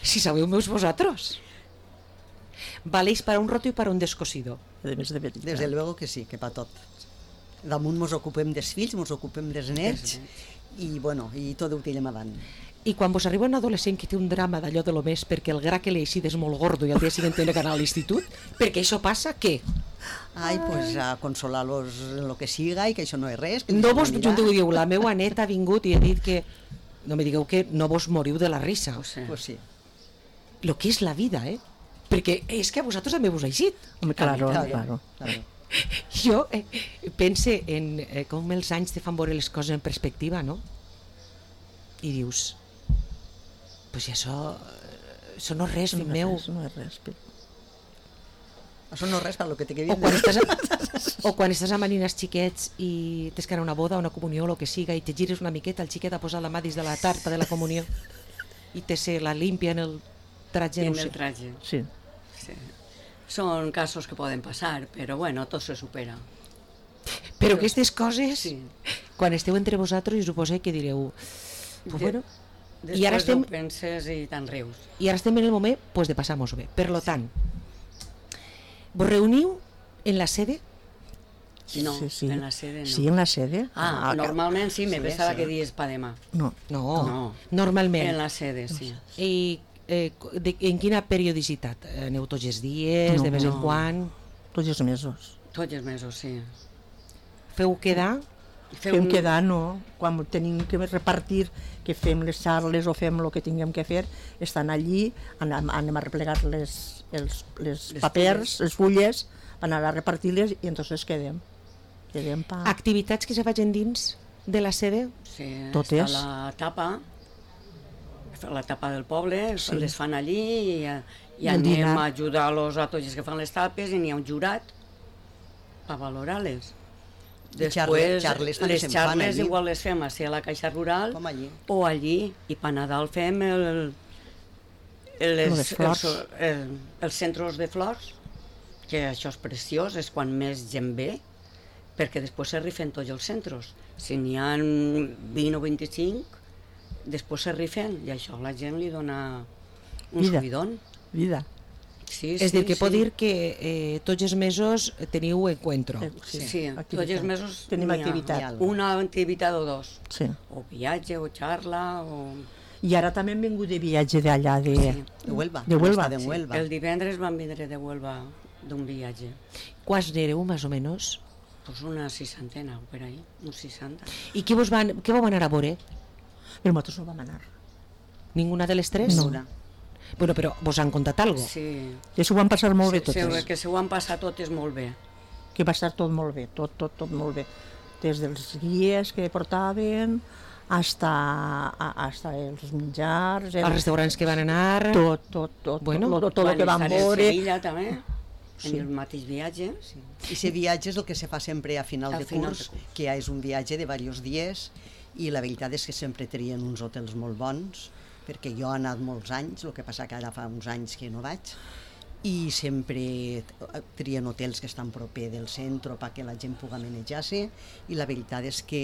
Si sabeu meus vosaltres. Valeix para un roto i para un descosido. Desde luego que sí, que pa tot. Damunt mos ocupem dels fills, mos ocupem dels nets, i bueno, i tot ho tirem avant. I quan vos arriba un adolescent que té un drama d'allò de lo més perquè el gra que li eixit és molt gordo i al dia següent té que anar a l'institut, perquè això passa, què? Ai, pues a consolar-los en lo que siga i que això no és res. No vos junteu i diu, la meva neta ha vingut i ha dit que... No me digueu que no vos moriu de la risa. Pues sí. Pues sí. Lo que és la vida, eh? Perquè és que a vosaltres també vos ha eixit. Home, claro, claro. claro. Jo eh, pense en eh, com els anys te fan veure les coses en perspectiva, no? I dius, pues això, això no és res, fill meu. No és res, però... Això no és res per lo que té que dir. O quan estàs, a, o quan estàs amb nines xiquets i tens que anar a una boda, una comunió, o el que siga, i te gires una miqueta, el xiquet ha posat la mà dins de la tarta de la comunió i te se la limpia en el traje. En no sé. el traje. Sí. Sí. Són casos que poden passar, però bueno, tot se supera. Però aquestes coses, sí. Quan esteu entre vosaltres, suposo que direu, pues bueno, Després i ara estem, ho penses i te'n rius. I ara estem en el moment pues, de passar-nos bé. Per lo tant, vos reuniu en la sede? No, sí, sí. en la sede no. Sí, en la sede. Ah, ah normalment sí, me sí, pensava sí. que dies pa demà. No. No, no. Normalment. En la sede, sí. I eh, de, en quina periodicitat? Aneu tots els dies, no, de vez no. en quan? Tots els mesos. Tots els mesos, sí. Feu quedar? Fem un... quedar, no. Quan tenim que repartir, que fem les xarles o fem el que tinguem que fer, estan allí, anem, anem a replegar les, els, les, les papers, fulles. les fulles, per anar a repartir-les i entonces quedem. quedem pa... Activitats que se facin dins de la sede? Sí, Totes. està la tapa, la tapa del poble, sí. Les fan allí i, i anem dinar. a ajudar-los a tots els que fan les tapes i n'hi ha un jurat per valorar-les. Després, xarles, les xarles igual les fem a la Caixa Rural allí. o allí, i per Nadal fem el, el, les, els, el, els centres de flors, que això és preciós, és quan més gent ve, perquè després se rifen tots els centres. Si n'hi ha vint o vint-i-cinc, després se rifen, i això a la gent li dona un vida. subidón. Vida. Sí, és sí, dir, que sí. pot dir que eh, tots els mesos teniu encuentro. Sí, sí, tots els mesos tenim activitat. Una activitat o dos. Sí. O viatge, o xarra, o... I ara també hem vingut de viatge d'allà, de... Sí. De Huelva. De Huelva. De Huelva. Sí. El divendres vam vindre de Huelva d'un viatge. Quants n'éreu, més o menys? Pues una seixantena, per ahí, uns seixanta. I què vos van, què vau anar a veure? Però nosaltres no vam anar. Ninguna de les tres? No. Bueno, però vos han contat alguna cosa? Sí. Que s'ho van passar molt bé totes. Sí, que s'ho van passar totes molt bé. Que va estar tot molt bé, tot, tot, tot molt bé. Des dels guies que portaven, hasta, hasta els menjars... Els restaurants que van anar... Tot, tot, tot, bueno, tot, tot, tot el que van veure... Van estar en Sevilla també, sí. en el mateix viatge. Sí. I aquest viatge és el que se fa sempre a final, Al de, final curs, de curs, que ja és un viatge de diversos dies, i la veritat és que sempre trien uns hotels molt bons, perquè jo he anat molts anys, el que passa que ara fa uns anys que no vaig, i sempre trien hotels que estan proper del centre perquè la gent pugui manejar-se, i la veritat és que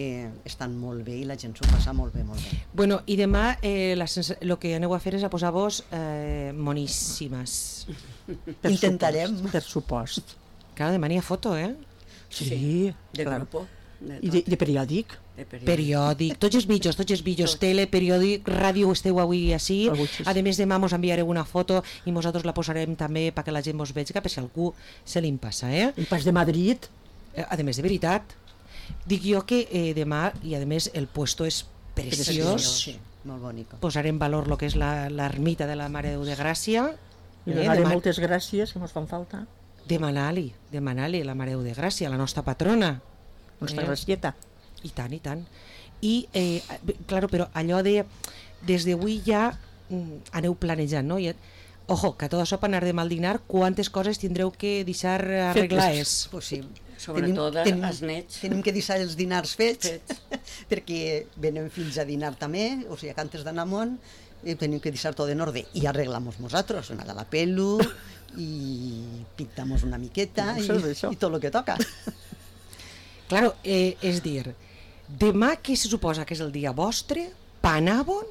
estan molt bé i la gent s'ho passa molt bé, molt bé. Bueno, i demà eh, el que aneu a fer és a posar-vos eh, moníssimes. Per Intentarem. Supost, per supost. Clar, demà n'hi ha foto, eh? Sí, sí de clar. grupo. De I de, de periòdic. De periòdic. Periòdic, tots els vídeos, tots els vídeos, tele, periòdic, ràdio, esteu avui així. A més, demà mos enviareu una foto i nosaltres la posarem també perquè la gent mos vegi, per si algú se li passa, eh? I pas de Madrid. Eh, a més, de veritat, dic jo que eh, demà, i a més el puesto és preciós, sí, molt bonic. Posaré en valor el que és l'ermita de la Mare de Déu de Gràcia. I donaré eh, moltes gràcies, que mos fan falta. Demanar-li, demanar-li la Mare de Déu de Gràcia, la nostra patrona. Nostra eh? gracieta. I tant, i tant. I, eh, claro, però allò de des d'avui ja mm, aneu planejant, no? I, ojo, que a tot això per anar de mal dinar, quantes coses tindreu que deixar arreglades? Pues sí. Sobretot tenim, els nets. Tenim que deixar els dinars fets, fets. perquè venen fills a dinar també, o sigui, que antes d'anar amunt eh, tenim que deixar tot en ordre i arreglamos nosaltres, una de la pelo i pintamos una miqueta i, i tot el que toca. Claro, eh, és dir, demà que se suposa que és el dia vostre, panàvon,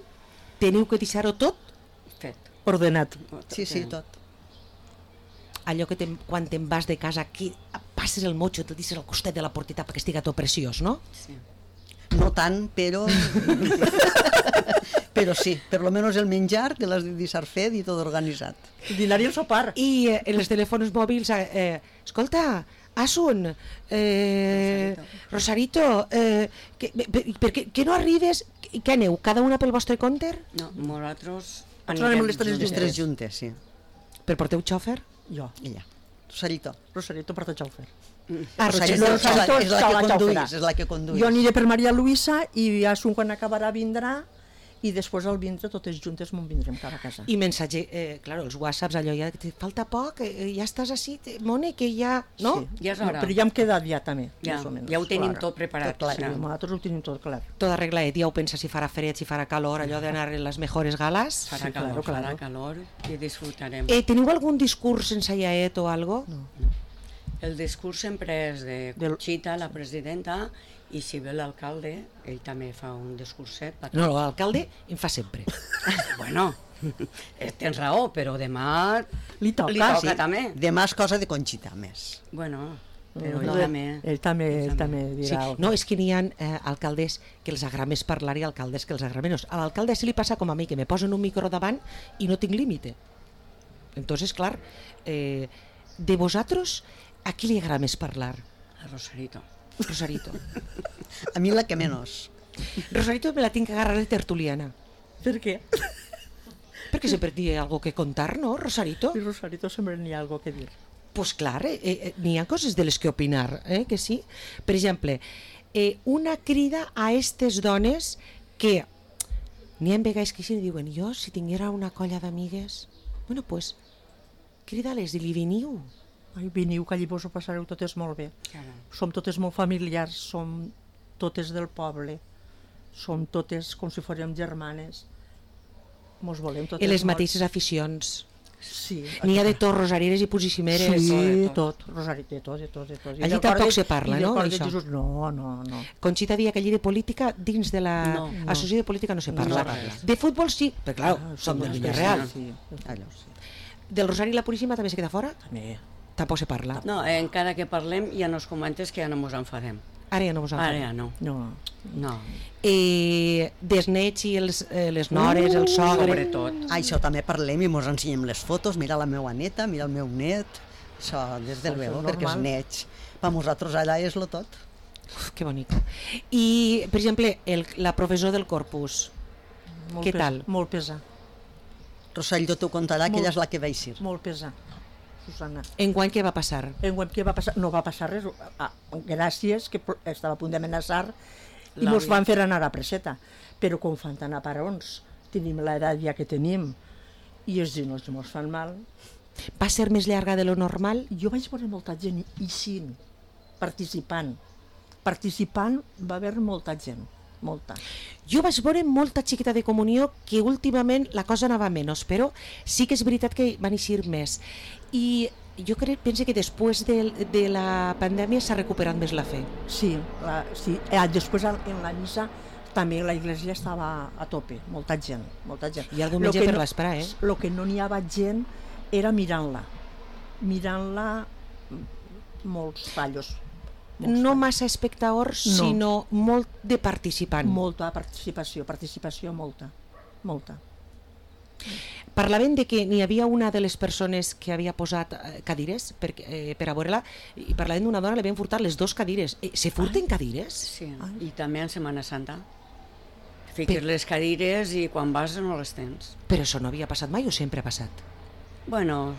teniu que deixar-ho tot fet, ordenat. Sí, sí, tot. Allò que te, quan te'n vas de casa, que passes el motxo, te'l deixes al costat de la porteta perquè estiga tot preciós, no? Sí. No tant, però... però sí, per lo menos el menjar que l'has de deixar fet i tot organitzat. El dinar i el sopar. I eh, en els telèfons mòbils, eh, escolta, Asun, eh, Rosarito, eh, que, per, per, que, que no arribes, què aneu, cada una pel vostre compte? No, nosaltres anirem les tres, les tres juntes, sí. Per porteu xòfer? Jo. Ella. Rosarito. Rosarito porta xòfer. Ah, Rosarito, no, Rosarito és, la, és, la que conduís, és la que conduís. Jo aniré per Maria Luisa i Asun quan acabarà vindrà i després al vindre totes juntes m'ho vindrem cada casa. I mensatge, eh, claro, els whatsapps, allò ja, te falta poc, eh, ja estàs així, Mone, que ja... No? Sí, ja és hora. No, però ja hem quedat ja també, ja, més o menys. Ja ho tenim clar. tot preparat. Tot clar, sí, nosaltres ho tenim tot clar. Tot arreglat, ja ho pensa si farà fred, si farà calor, allò d'anar en les mejores galas. Farà sí, calor, claro, claro. farà calor i disfrutarem. Eh, teniu algun discurs ensaiat o algo? No. El discurs sempre és de Conxita, la presidenta, i si ve l'alcalde, ell també fa un discurset. No, l'alcalde en fa sempre. Bueno, tens raó, però demà li toca, li toca sí. també. Demà és cosa de Conxita, més. Bueno, però no, ell també... Ell també, ell també dirà... Sí. No, és que n'hi ha eh, alcaldes que els agrada més parlar i alcaldes que els agrada menys. A l'alcalde sí li passa com a mi, que me posen un micro davant i no tinc límite. Entonces, clar, eh, de vosaltres, a qui li agrada més parlar? A Rosarito. Rosarito. A mi la que menos. Rosarito me la tinc que agarrar de tertuliana. Per què? Perquè sempre té algo que contar, no, Rosarito? I Rosarito sempre n'hi ha algo que dir. Pues clar, eh, eh, n'hi ha coses de les que opinar, eh, que sí. Per exemple, eh, una crida a aquestes dones que n'hi ha vegades que sí, diuen, jo si tinguera una colla d'amigues, bueno, pues, crida-les i li veniu. Ai, veniu, que allí vos ho passareu totes molt bé. Claro. Som totes molt familiars, som totes del poble, som totes com si fórem germanes, mos volem totes I les molt. mateixes aficions. Sí. N'hi ha de tot, rosarieres i puissimeres. Sí, de tot, tot. Rosari, de tot, de tot, de tot. I allí tampoc se parla, no, d'això? No, no, no. Conxita dia que allí de política, dins de la no, no. associació de política no se parla. No, no. De futbol sí, però clar, ah, som del Villarreal. Sí, allò sí. Del Rosari i la Puríssima també se queda fora? També. Tampoc se parla. No, encara que parlem hi ha uns comentes que ja no mos enfadem. Ara ja no vos enfadem. Ara ja no. No. No. Eh, des nets i els, eh, les nores, uh, el sogre... Sobretot. Això també parlem i mos ensenyem les fotos, mira la meva neta, mira el meu net, això des del veu, perquè els nets, per nosaltres allà és lo tot. Uf, que bonic. I, per exemple, el, la professor del Corpus, molt què pes, tal? Molt pesar. Rosaldo t'ho contarà, que molt, ella és la que va eixir. Molt pesar. Susana. Enguany què va passar? Enguany què va passar? No va passar res. Ah, gràcies, que estava a punt d'amenaçar i mos van fer anar a preseta. Però com fan tan aparons, tenim l'edat ja que tenim i els genolls mos fan mal. Va ser més llarga de lo normal? Jo vaig veure molta gent eixint, participant. Participant va haver molta gent. Molta. Jo vaig veure molta xiqueta de comunió que últimament la cosa anava menys, però sí que és veritat que van eixir més. I jo crec, pense que després de, de la pandèmia s'ha recuperat més la fe. Sí, la, sí. Eh, després en la missa també la iglesia estava a tope, molta gent, molta gent. I algun menjar per no, l'esperar, eh? El que no n'hi havia gent era mirant-la, mirant-la molts tallos. No massa espectadors, no. Sinó molt de participant. Molta participació, participació molta, molta. Parlaven de que n'hi havia una de les persones que havia posat cadires per, eh, per a veure-la, i parlaven d'una dona, li havien furtat les dues cadires. Eh, se furten cadires? Sí, i també en Setmana Santa. Fiques per... les cadires i quan vas no les tens. Però això no havia passat mai o sempre ha passat? Bueno,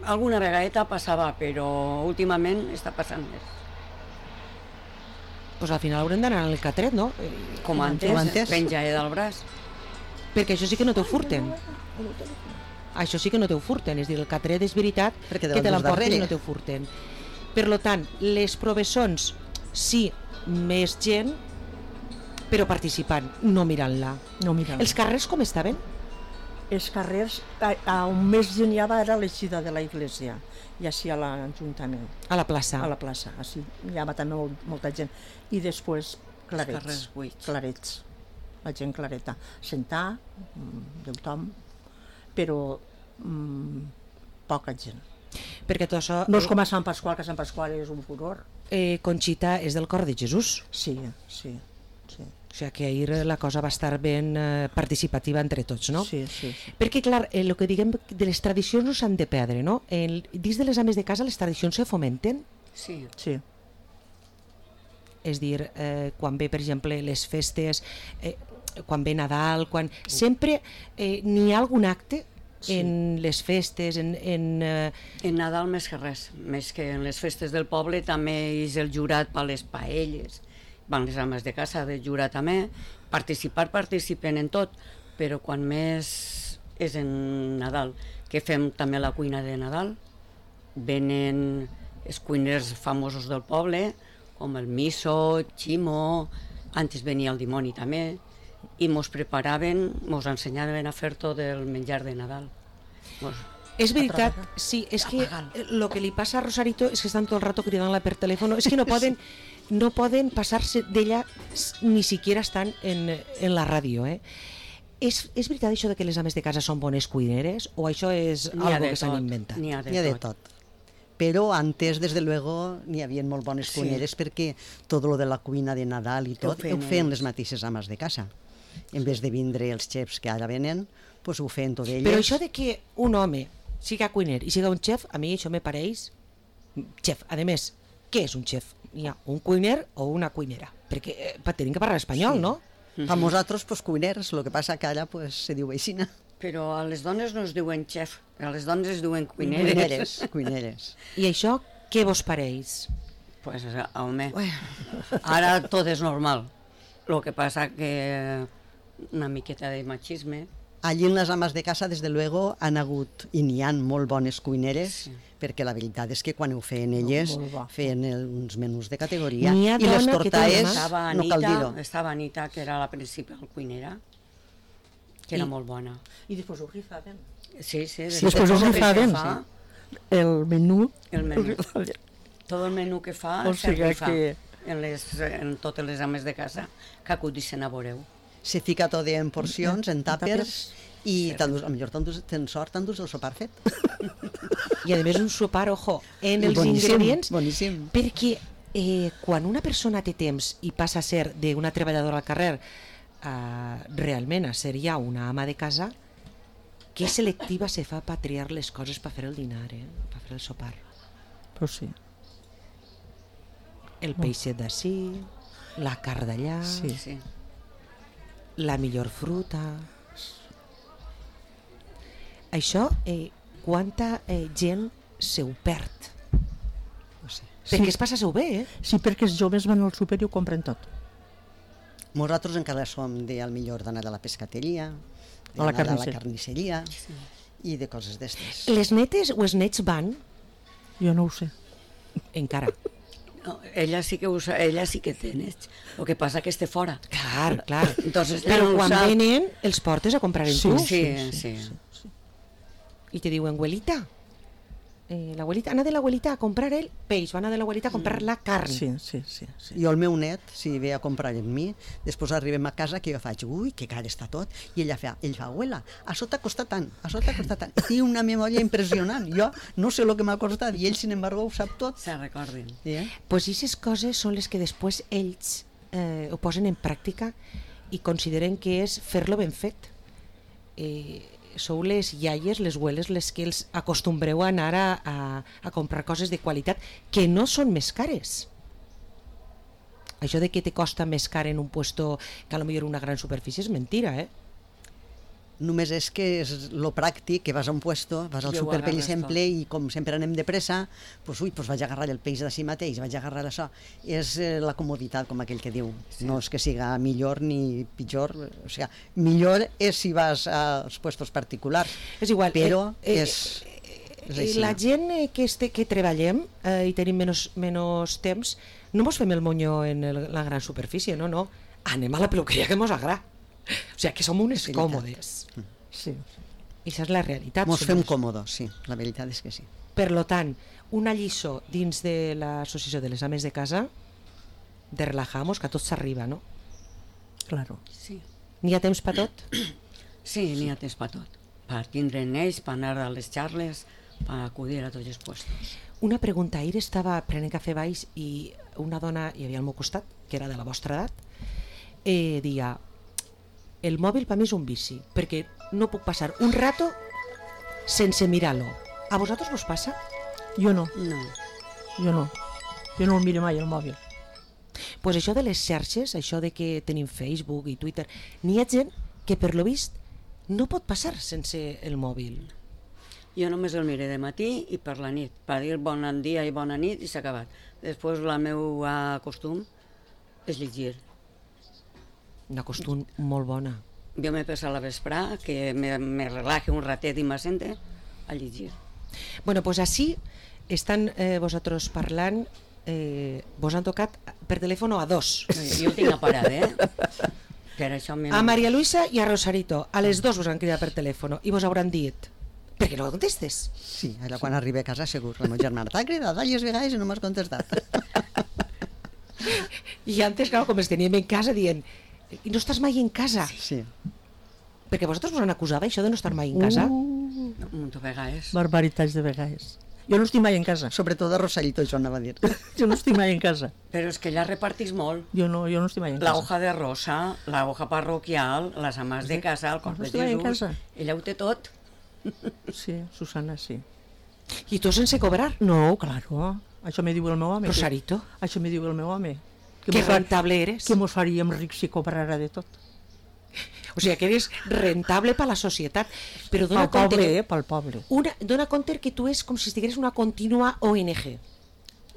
alguna vegada passava, però últimament està passant més. pues al final haurem d'anar al catret, no? Com antes, penja del braç. Perquè això sí que no t'ho furten. Això sí que no t'ho furten, és dir, el catret és veritat que te l'emporten i no t'ho furten. Per tant, les professons, sí, més gent, però participant, no mirant-la. No mirant-la. Els carrers com estaven? Els carrers, a, a on més gent hi havia era l'eixida de la iglesia, i així a l'Ajuntament. A la plaça? A la plaça, així. Hi havia també molt, molta gent. I després clarets. Els carrers buits. Clarets. La gent clareta. Sentar, de tothom, però mm, poca gent. Perquè tot això... No és com a Sant Pasqual, que Sant Pasqual és un furor. Eh, Conxita és del cor de Jesús. Sí, sí. sí. O sigui que ahir la cosa va estar ben eh, participativa entre tots, no? Sí, sí. sí. Perquè, clar, el eh, que diguem de les tradicions no s'han de perdre, no? El, dins de les ames de casa les tradicions se fomenten? Sí. Sí. És dir, eh, quan ve, per exemple, les festes, eh, quan ve Nadal, quan... Sempre eh, n'hi ha algun acte sí. en les festes, en... En, eh... en Nadal més que res, més que en les festes del poble també és el jurat per les paelles, van les ames de casa de jurar també, participar participen en tot, però quan més és en Nadal, que fem també la cuina de Nadal, venen els cuiners famosos del poble, com el Miso, Ximo, antes venia el dimoni també, i mos preparaven, mos ensenyaven a fer tot el menjar de Nadal. Mos... És veritat, sí, és que el que li passa a Rosarito és que estan tot el rato cridant-la per telèfon, és que no poden, no poden passar-se d'ella ni siquiera estan en, en la ràdio, eh? És, és veritat això de que les ames de casa són bones cuineres o això és algo que s'han inventat? N'hi ha de, de tot. Però antes, desde luego, n'hi havia molt bones Sí. cuineres perquè tot lo de la cuina de Nadal i tot Ho feien ho feien ells. les mateixes ames de casa. En vez de vindre els xefs que ara venen, pues ho feien tot elles. Però això de que un home siga cuiner i siga un xef, a mi això me pareix xef. A més, què és un xef? Hi ha un cuiner o una cuinera, perquè eh, tenim que parlar espanyol, Sí. no? A nosaltres, pues, cuiners, el que passa que ara pues, se diu aixina. Però a les dones no es diuen xef, a les dones es diuen cuineres. Cuineres, cuineres. I això què vos pareix? Pues, home, ara tot és normal. El que passa que una miqueta de machisme. Allí en les ames de casa, des de luego, han hagut, i n'hi ha molt bones cuineres, sí. perquè la veritat és que quan ho feien elles, feien el, uns menús de categoria. N'hi ha I les dona que té tortaes, Estava no cal Anita, dir-ho. estava Anita, que era la principal cuinera, que era I- molt bona. I després ho rifaven. Sí, sí. Sí, després ho rifaven. Fa, El menú. el menú. Tot el menú que fa O se sigui rifa que- en, les, en totes les ames de casa que acudissin a veureu. Se fica tot en porcions, en tàpers, i Sí. t'endús, a millor t'endús, tens sort, t'endús el sopar fet. I a més un sopar, ojo, en els Boníssim, ingredients, boníssim. perquè eh, quan una persona té temps i passa a ser d'una treballadora al carrer eh, realment a ser ja una ama de casa, que selectiva se fa per triar les coses per fer el dinar, eh? Per fer el sopar. Però sí. El peixet d'ací, la carn d'allà, Sí. Sí. la millor fruta... Això, eh, quanta eh, gent se ho perd? No sé. Perquè es passa-se-ho bé, eh? Sí, perquè els joves van al súper i ho compren tot. Nosaltres encara som de, al millor d'anar a la pescateria, A la d'anar a la carnisseria. carnisseria i de coses d'estes. Les netes o els nets van? Jo no ho sé. Encara. No, ella sí que usa, ella sí que té nets. El que passa que este fora. Clar, clar. Entonces, Però no ho quan sap. venen, els portes a comprar en Sí, tu. sí, sí. I te diuen, abuelita, eh, l'abuelita, anar de l'abuelita a comprar el peix, va anar de l'abuelita a comprar la carn. Sí, sí, sí. sí. Jo el meu net, si ve a comprar amb mi, després arribem a casa que jo faig, ui, que car està tot, i ella fa, ell fa, abuela, a sota costa tant, a sota costa tant. Té una memòria impressionant. Jo no sé el que m'ha costat i ell, sin embargo, ho sap tot. Se recordin. Yeah. Pues aquestes coses són les que després ells eh, ho posen en pràctica i consideren que és fer-lo ben fet. Eh, sou les iaies, les abueles, les que els acostumbreu a anar a, a, a comprar coses de qualitat que no són més cares. Això de que te costa més car en un puesto que a lo millor una gran superfície és mentira, eh? Només és que és lo pràctic, que vas a un puesto, vas al súper, per exemple, i com sempre anem de pressa, pues, ui, pues vaig a agarrar el peix d'ací mateix, vaig a agarrar això. És eh, la comoditat, com aquell que diu. Sí. No és que siga millor ni pitjor, o sigui, millor és si vas als puestos particulars. És igual, però eh, és... Eh, eh, la gent eh, que, este, que treballem eh, i tenim menys, menys temps, no mos fem el monyo en el, la gran superfície, no, no. Anem a la peluqueria que mos agrada. O sigui, que som unes còmodes. Sí. I això és la realitat. Mos fem còmodes, sí, la veritat és que sí. Per lo tant, una lliçó dins de l'associació de les ames de casa de relajamos, que a tot s'arriba, no? Claro. Sí. N'hi ha temps per tot? Sí, n'hi ha temps per tot. Per tindre neix, per anar a les xarles, per acudir a tots els puestos. Una pregunta, ahir estava prenent cafè baix i una dona hi havia al meu costat, que era de la vostra edat, eh, dia, el mòbil per mi és un vici, perquè no puc passar un rato sense mirar-lo. A vosaltres vos passa? Jo no. No. Jo no. Jo no el miro mai, el mòbil. Pues això de les xarxes, això de que tenim Facebook i Twitter, n'hi ha gent que per lo vist no pot passar sense el mòbil. Jo només el miré de matí i per la nit, per dir bon dia i bona nit i s'ha acabat. Després la meva costum és llegir. Una costum molt bona. Jo m'he passat a la vesprà, que me, me relaje un ratet i m'assente a llegir. Bueno, pues així estan eh, vosaltres parlant, eh, vos han tocat per telèfon a dos. Jo ho tinc a parar, eh? Per això a Maria Luisa i a Rosarito, a les dos vos han cridat per telèfon i vos hauran dit, per què no contestes? Sí, ara quan arribi a casa segur, el meu germà t'ha cridat diverses vegades i no m'has contestat. I antes, clar, com els teníem en casa, dient, i no estàs mai en casa? Sí. Perquè vosaltres vos han acusat això de no estar mai en casa? Uh, un munt de vegades. Barbaritats de vegades. Jo no estic mai en casa. Sobretot a Rosarito, això anava a dir. Jo no estic mai en casa. Però és que ella repartís molt. Jo no, jo no estic mai en la casa. La hoja de rosa, la hoja parroquial, les amas de casa, el cor no de Jesús. Ella ho té tot. Sí, Susana, sí. I tu sense cobrar? No, claro. Això me diu el meu home. Rosarito? Que, això me diu el meu home. Que, que rentable eres. Que mos faríem rics si cobrara de tot. O sigui, que eres rentable per la societat. Però dona pel compte, poble, eh? Pel poble. Una, dona compte que tu és com si estigueres una contínua O N G.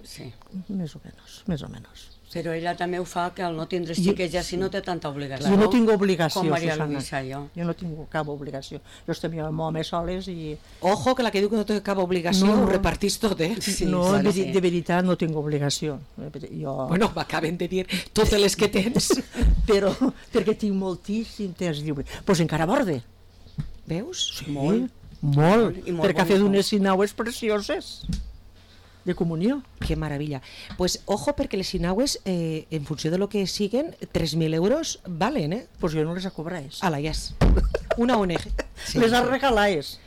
Sí. Més o menys, més o menys. Però ella també ho fa que al no tindre xiques ja si no té tanta obligació. Jo no tinc obligació, com Maria Susana. Luisa, jo. Jo no tinc cap obligació. Jo estem amb home soles i... Ojo, que la que diu que no té cap obligació no, ho repartís tot, eh? Sí, no, de, de veritat no tinc obligació. Jo... Bueno, m'acaben de dir totes les que tens. Però perquè tinc moltíssim temps lliure. Doncs pues encara borde. Veus? Sí, molt. Molt, I molt perquè ha fet unes sinaues precioses de comunió. Que maravilla. Pues ojo, perquè les sinaues, eh, en funció de lo que siguen, tres mil euros valen, eh? Pues jo no les cobrés. Ala, ja és. Una O N G. Sí. Les regalades.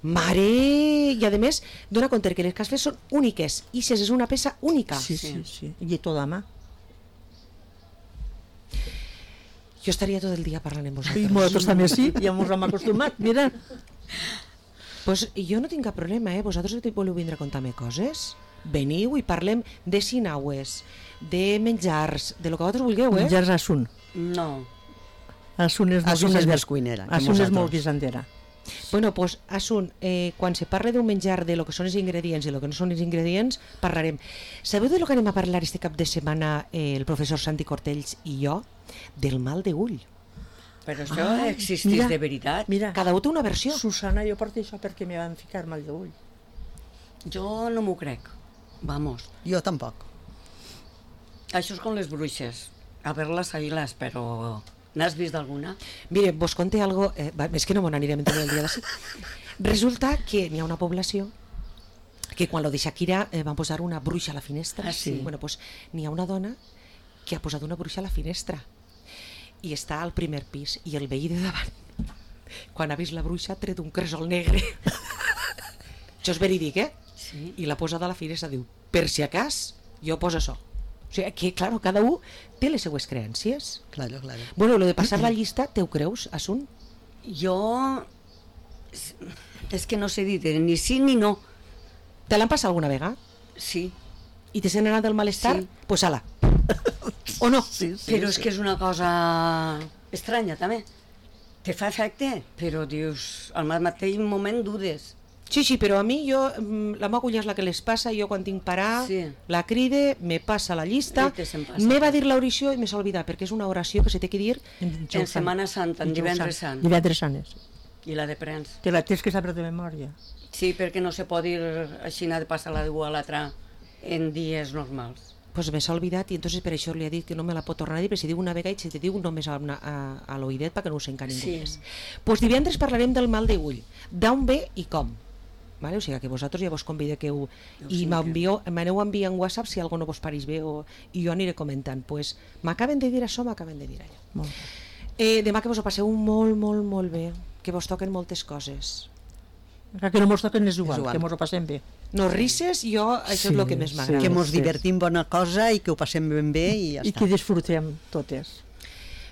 Mare! I a més, dona compte que les que has fet són úniques. I si és una peça única. Sí, sí, sí. I tota mà. Jo estaria tot el dia parlant amb vosaltres. I nosaltres també sí, ja ens hem acostumat, mira. Pues jo no tinc cap problema, eh? Vosaltres voleu vindre a contar-me coses? Veniu i parlem de sinaues, de menjars, de lo que vosaltres vulgueu, eh? Menjars assun. No. Assun és molt Assun és més cuinera. Assun és molt guisandera. Bueno, pues, Assun, eh, quan se parla d'un menjar, de lo que són els ingredients i lo que no són els ingredients, parlarem. Sabeu de lo que anem a parlar este cap de setmana eh, el professor Santi Cortells i jo? Del mal de ull. Però això ah, existeix mira, de veritat? Mira, cada un té una versió. Susana, jo porto això perquè me van ficar mal d'ull. Jo no m'ho crec. Vamos. Jo tampoc. Això és com les bruixes. A ver-les, ahí-les, però... N'has vist alguna? Mire, vos conté algo... Eh, és que no me n'anirem tot el dia d'ací. Resulta que n'hi ha una població que quan lo de Shakira eh, van posar una bruixa a la finestra. Ah, sí? Bueno, pues n'hi ha una dona que ha posat una bruixa a la finestra i està al primer pis i el veí de davant, quan ha vist la bruixa, ha tret un cresol negre. Això és verídic, eh? Sí. I l'ha posat a la finestra, diu, per si acas, jo poso això. O sigui, que, claro, cada un té les seues creències. Claro, claro. Bueno, lo de passar la llista, te ho creus, Assun? Jo... És que no sé dir ni sí ni no. Te l'han passat alguna vegada? Sí. I te sent anar del malestar? Sí. Pues ala. O no? Sí, sí, Però sí. és que és una cosa estranya, també. te fa efecte, però dius, al mateix moment dudes. Sí, sí, però a mi, jo, la meva cunya és la que les passa, jo quan tinc parar, sí. la cride, me passa la llista, me va dir l'oració i me s'ha oblidat, perquè és una oració que se té que dir en, en Setmana Santa, en divendres sant. Divendres sant. I la de prens. Que la tens que saber de memòria. Sí, perquè no se pot dir així de passar-la d'un a l'altre en dies normals. Pues me s'ha oblidat i entonces per això li ha dit que no me la pot tornar a dir, perquè si diu una vegada i si te diu només a, a, a l'oïdet perquè no ho sent ningú sí. més. Pues divendres parlarem del mal d'ull, d'on ve i com. Vale? O sigui que vosaltres ja vos convideu i m'aneu enviant WhatsApp si algú no vos pareix bé o, i jo aniré comentant. Pues m'acaben de dir això, m'acaben de dir allò. Eh, demà que vos ho passeu molt, molt, molt bé, que vos toquen moltes coses. Que no mos toquen és igual, és igual. Que mos ho passem bé. No risses, jo això sí, és el que més m'agrada. Sí, que mos divertim bona cosa i que ho passem ben bé i ja I està. I que disfrutem totes.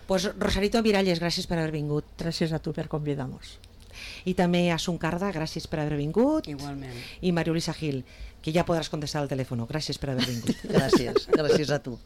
Pues Rosarito Miralles, gràcies per haver vingut. Gràcies a tu per convidar-nos. I també a Suncarda, gràcies per haver vingut. Igualment. I Mariolisa Gil, que ja podràs contestar al telèfon. Gràcies per haver vingut. Gràcies, gràcies a tu.